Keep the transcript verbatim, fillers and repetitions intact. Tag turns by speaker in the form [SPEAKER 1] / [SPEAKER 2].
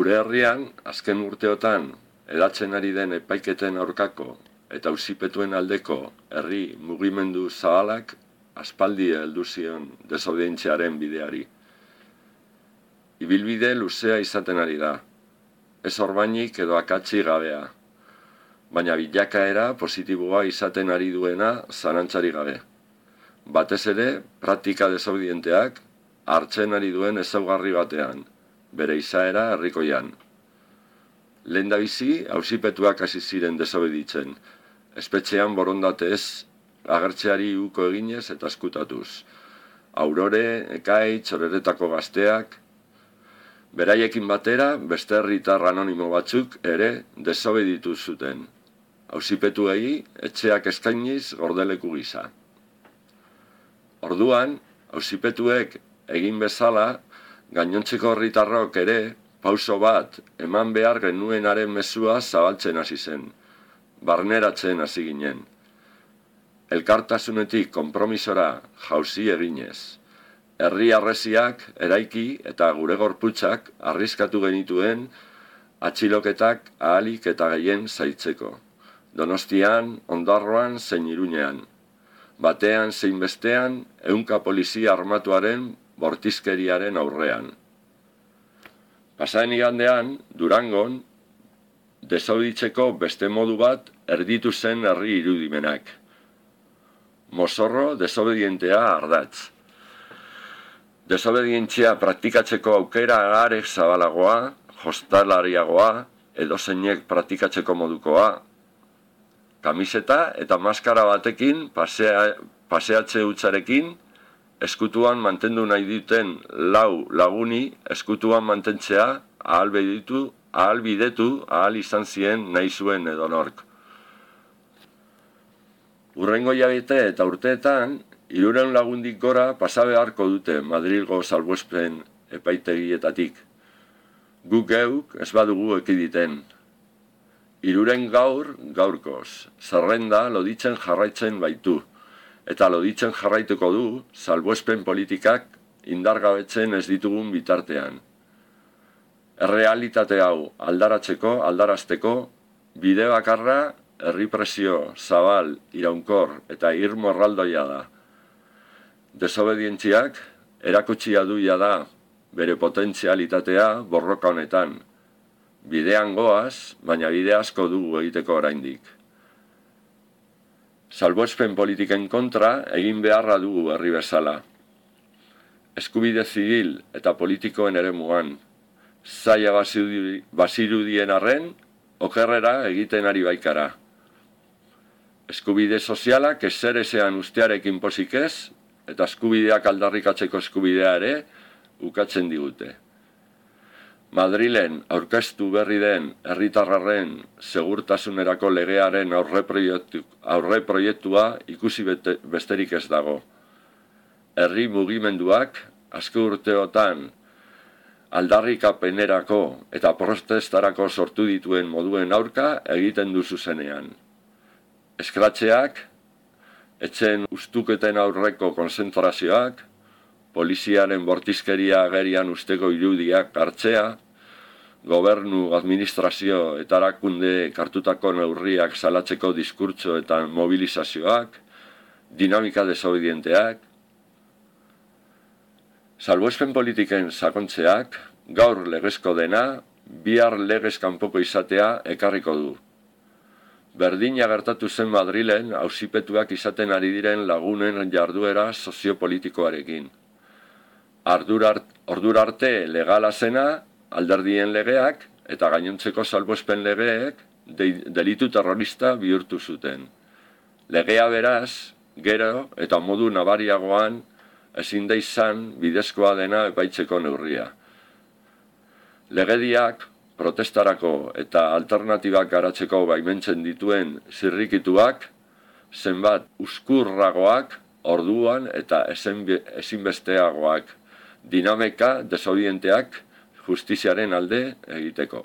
[SPEAKER 1] Gure herrian, azken urteotan, edatzen ari den epaiketen aurkako eta auzipetuen aldeko herri mugimendu zabalak aspaldi heldu zion desobedientziaren bideari. Ibilbide luzea izaten ari da, ez orbainik edo akatsi gabea, baina bilakaera positiboa izaten ari duena zalantzari gabe. Batez ere, praktika desobedienteak hartzen ari duen ezaugarri batean, bere izaera herrikoian. Lehendabizi, auzipetuak hasi ziren desobeditzen, espetxean borondatez agertzeari uko eginez eta eskutatuz. Aurore, Ekaitz, Oreretako gazteak, beraiekin batera beste herritar anonimo batzuk ere desobeditu zuten. Auzipetuei etxeak eskainiz gordeleku gisa. Orduan, auzipetuek egin bezala, gainontzeko herritarrok ere pauso bat eman behar genuenaren mezua zabaltzen hasi zen, barneratzen hasi ginen. Elkartasunetik konpromisora jauzi eginez. Herri harresiak eraiki eta gure gorputzak arriskatu genituen atxiloketak ahalik eta gehien zaitzeko. Donostian, Ondarroan zein Iruñean. Batean zein bestean ehunka polizia armatuaren bortizkeriaren aurrean. Pasaden igandean, Durangon, desobeditzeko beste modu bat erditu zen herri irudimenak. Mozorro desobedientea ardatz. Desobedientzia praktikatzeko aukera are zabalagoa, jostalariagoa, edozeinek praktikatzeko modukoa, kamiseta eta maskara batekin pasea, paseatze hutsarekin, eskutuan mantendu nahi duten lau laguni eskutuan mantentzea ahalbidetu, ahalbidetu ahal izan zien nahi zuen edonork. Hurrengo hilabete eta urteetan, hirurehun lagundik gora pasa beharko dute Madrilgo salbuespen epaitegietatik. Guk geuk ez badugu ekiditen. Hiruren gaur gaurkoz, zerrenda loditzen jarraitzen baitu, eta loditzen jarraituko du salbuespen politikak indargabetzen ez ditugun bitartean. Errealitate hau aldaratzeko, aldarazteko, bide bakarra herri presio, zabal, iraunkor eta irmo erraldoia da. Desobedientziak erakutsia duia da bere potentzialitatea borroka honetan. Bidean goaz, baina bide asko dugu egiteko oraindik. Salbuespen politiken kontra egin beharra dugu herri bezala. Eskubide zibil eta politikoen eremuan, zaila bazirudien arren, okerrera egiten ari baikara. Eskubide sozialak ezer ezean ustearekin pozik ez, eta eskubideak aldarrikatzeko eskubidea ere ukatzen digute. Madrilen aurkeztu berri den herritarraren segurtasunerako legearen aurre proiektu, aurre proiektua ikusi bete, besterik ez dago. Herri mugimenduak azken urteotan aldarrikapenerako eta protestarako sortu dituen moduen aurka egiten du zuzenean. Eskratzeak, etxen ustuketen aurreko konzentrazioak, poliziaren bortizkeria agerian usteko irudiak hartzea, gobernu, administrazio eta erakunde kartutako neurriak salatzeko diskurtso eta mobilizazioak, dinamika desobedienteak, salbuespen politiken sakontzeak, gaur legezko dena, bihar legez kanpoko izatea ekarriko du. Berdina gertatu zen Madrilen auzipetuak izaten ari diren lagunen jarduera soziopolitikoarekin. Ordura arte legala zena, alderdien legeak eta gainontzeko salbuespen legeek delitu terrorista bihurtu zuten. Legea beraz, gero eta modu nabariagoan ezin da izan bidezkoa dena epaitzeko neurria. Legediak protestarako eta alternatibak garatzeko baimentzen dituen zirrikituak, zenbat uzkurragoak, orduan eta ezinbesteagoak, dinamika desobedienteak justiziaren alde egiteko.